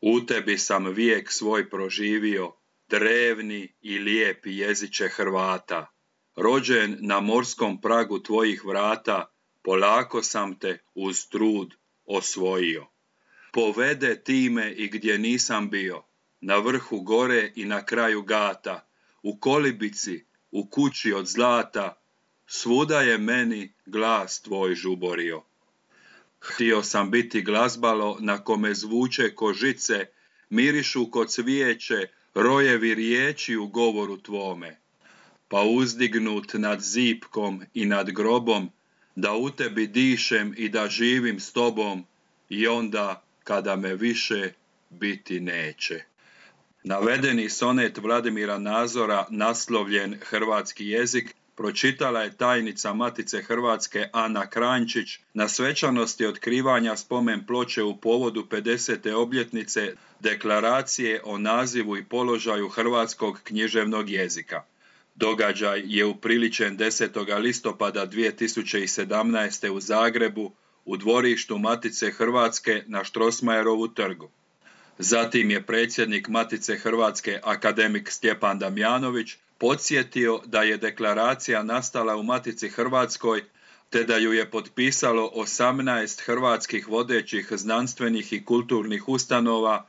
U tebi sam vijek svoj proživio, drevni i lijepi jeziče Hrvata. Rođen na morskom pragu tvojih vrata, polako sam te uz trud osvojio. Povede ti me i gdje nisam bio, na vrhu gore i na kraju gata, u kolibici, u kući od zlata, svuda je meni glas tvoj žuborio. Htio sam biti glazbalo na kome zvuče ko žice, mirišu ko cvijeće, rojevi riječi u govoru tvome. Pa uzdignut nad zipkom i nad grobom, da u tebi dišem i da živim s tobom, i onda kada me više biti neće. Navedeni sonet Vladimira Nazora, naslovljen Hrvatski jezik, pročitala je tajnica Matice Hrvatske Ana Kranjčić na svečanosti otkrivanja spomen ploče u povodu 50. obljetnice Deklaracije o nazivu i položaju hrvatskog književnog jezika. Događaj je upriličen 10. listopada 2017. u Zagrebu u dvorištu Matice Hrvatske na Strossmayerovu trgu. Zatim je predsjednik Matice Hrvatske akademik Stjepan Damjanović podsjetio da je deklaracija nastala u Matici Hrvatskoj te da ju je potpisalo 18 hrvatskih vodećih znanstvenih i kulturnih ustanova,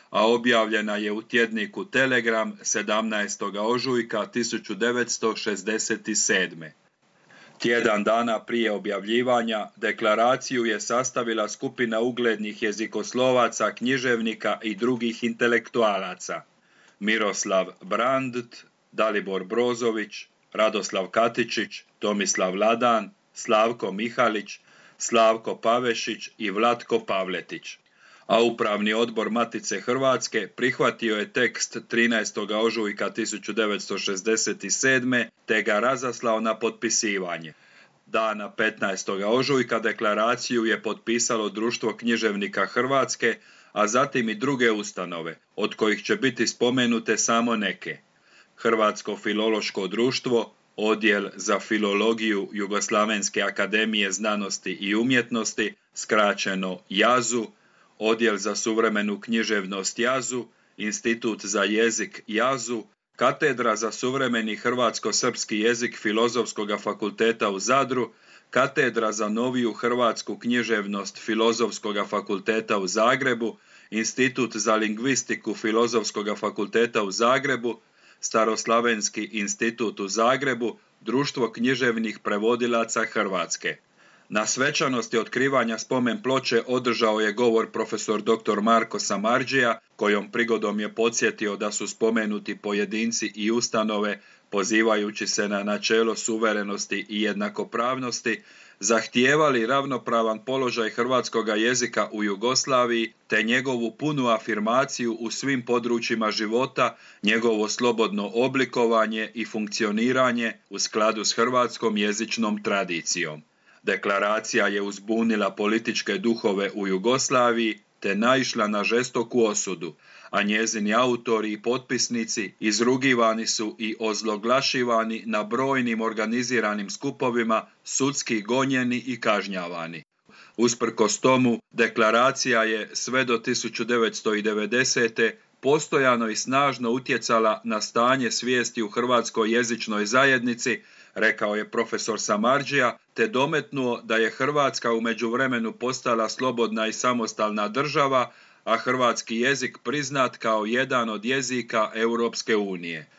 a objavljena je u tjedniku Telegram 17. ožujka 1967. Tjedan dana prije objavljivanja deklaraciju je sastavila skupina uglednih jezikoslovaca, književnika i drugih intelektualaca: Miroslav Brandt, Dalibor Brozović, Radoslav Katičić, Tomislav Ladan, Slavko Mihalić, Slavko Pavešić i Vlatko Pavletić. A Upravni odbor Matice Hrvatske prihvatio je tekst 13. ožujka 1967. te ga razaslao na potpisivanje. Dana 15. ožujka deklaraciju je potpisalo Društvo književnika Hrvatske, a zatim i druge ustanove, od kojih će biti spomenute samo neke: Hrvatsko filološko društvo, Odjel za filologiju Jugoslavenske akademije znanosti i umjetnosti, skraćeno JAZU, Odjel za suvremenu književnost JAZU, Institut za jezik JAZU, Katedra za suvremeni hrvatsko-srpski jezik Filozofskog fakulteta u Zadru, Katedra za noviju hrvatsku književnost Filozofskog fakulteta u Zagrebu, Institut za lingvistiku Filozofskog fakulteta u Zagrebu, Staroslavenski institut u Zagrebu, Društvo književnih prevodilaca Hrvatske. Na svečanosti otkrivanja spomen ploče održao je govor profesor dr. Marko Samardžija, kojom prigodom je podsjetio da su spomenuti pojedinci i ustanove, pozivajući se na načelo suverenosti i jednakopravnosti, zahtijevali ravnopravan položaj hrvatskoga jezika u Jugoslaviji te njegovu punu afirmaciju u svim područjima života, njegovo slobodno oblikovanje i funkcioniranje u skladu s hrvatskom jezičnom tradicijom. Deklaracija je uzbunila političke duhove u Jugoslaviji te naišla na žestoku osudu, a njezini autori i potpisnici izrugivani su i ozloglašivani na brojnim organiziranim skupovima, sudski gonjeni i kažnjavani. Usprkos tomu, deklaracija je sve do 1990. postojano i snažno utjecala na stanje svijesti u hrvatskoj jezičnoj zajednici, rekao je profesor Samardžija, te dometnuo da je Hrvatska u međuvremenu postala slobodna i samostalna država, a hrvatski jezik priznat kao jedan od jezika Europske unije.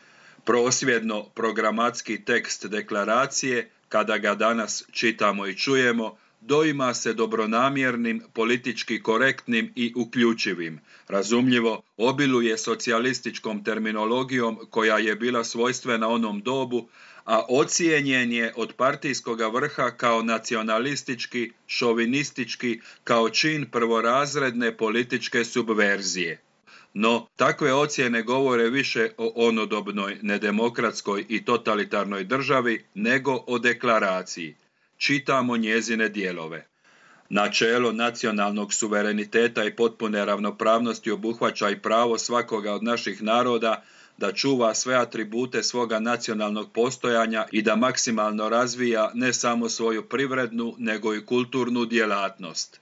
Prosvjedno programatski tekst deklaracije, kada ga danas čitamo i čujemo, doima se dobronamjernim, politički korektnim i uključivim. Razumljivo, obiluje socijalističkom terminologijom koja je bila svojstvena onom dobu, a ocijenjen je od partijskoga vrha kao nacionalistički, šovinistički, kao čin prvorazredne političke subverzije. No, takve ocjene govore više o onodobnoj nedemokratskoj i totalitarnoj državi nego o deklaraciji. Čitamo njezine dijelove. Načelo nacionalnog suvereniteta i potpune ravnopravnosti obuhvaća i pravo svakoga od naših naroda da čuva sve atribute svoga nacionalnog postojanja i da maksimalno razvija ne samo svoju privrednu, nego i kulturnu djelatnost.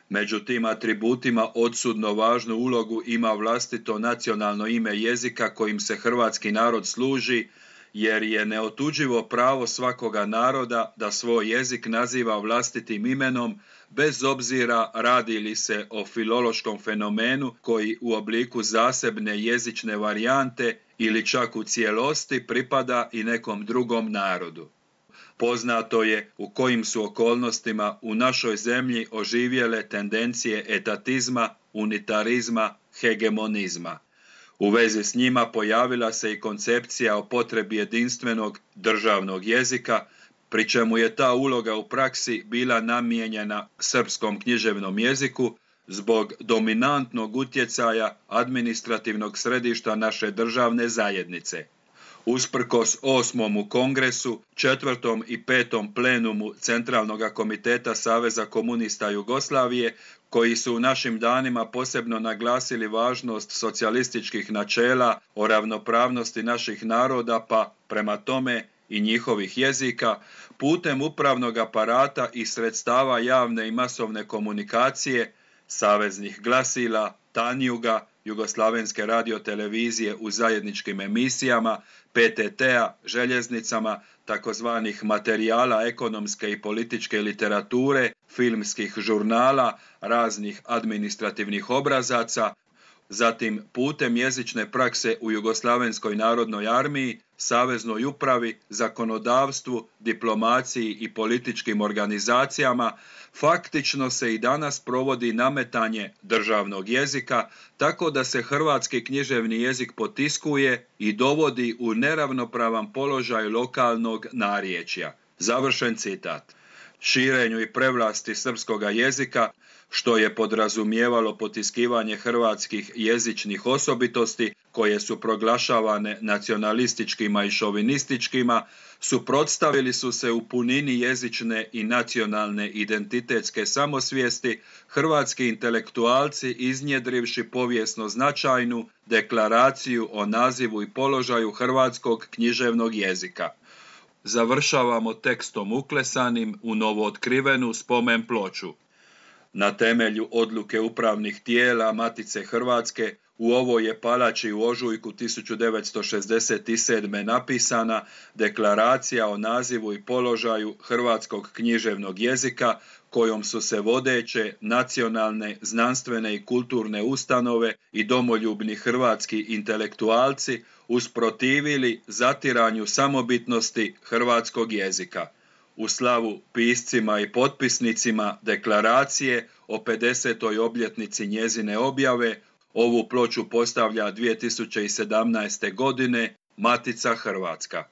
Među tim atributima odsudno važnu ulogu ima vlastito nacionalno ime jezika kojim se hrvatski narod služi, jer je neotuđivo pravo svakoga naroda da svoj jezik naziva vlastitim imenom, bez obzira radi li se o filološkom fenomenu koji u obliku zasebne jezične varijante ili čak u cijelosti pripada i nekom drugom narodu. Poznato je u kojim su okolnostima u našoj zemlji oživjele tendencije etatizma, unitarizma, hegemonizma. U vezi s njima pojavila se i koncepcija o potrebi jedinstvenog državnog jezika, pri čemu je ta uloga u praksi bila namijenjena srpskom književnom jeziku zbog dominantnog utjecaja administrativnog središta naše državne zajednice. Usprkos 8. kongresu, 4. i 5. plenumu Centralnog komiteta Saveza komunista Jugoslavije, koji su u našim danima posebno naglasili važnost socijalističkih načela o ravnopravnosti naših naroda, pa prema tome i njihovih jezika, putem upravnog aparata i sredstava javne i masovne komunikacije, saveznih glasila, Tanjuga, Jugoslavenske radiotelevizije u zajedničkim emisijama, PTT-a, željeznicama, takozvanih materijala ekonomske i političke literature, filmskih žurnala, raznih administrativnih obrazaca, zatim putem jezične prakse u Jugoslavenskoj narodnoj armiji, saveznoj upravi, zakonodavstvu, diplomaciji i političkim organizacijama, faktično se i danas provodi nametanje državnog jezika, tako da se hrvatski književni jezik potiskuje i dovodi u neravnopravan položaj lokalnog narječja. Završen citat. Širenju i prevlasti srpskoga jezika, što je podrazumijevalo potiskivanje hrvatskih jezičnih osobitosti koje su proglašavane nacionalističkima i šovinističkima, suprotstavili su se u punini jezične i nacionalne identitetske samosvijesti hrvatski intelektualci iznjedrivši povijesno značajnu deklaraciju o nazivu i položaju hrvatskog književnog jezika. Završavamo tekstom uklesanim u novootkrivenu spomen ploču. Na temelju odluke upravnih tijela Matice Hrvatske u ovoj je palači u ožujku 1967. napisana deklaracija o nazivu i položaju hrvatskog književnog jezika kojom su se vodeće nacionalne, znanstvene i kulturne ustanove i domoljubni hrvatski intelektualci usprotivili zatiranju samobitnosti hrvatskog jezika. U slavu piscima i potpisnicima deklaracije o 50. obljetnici njezine objave, ovu ploču postavlja 2017. godine Matica Hrvatska.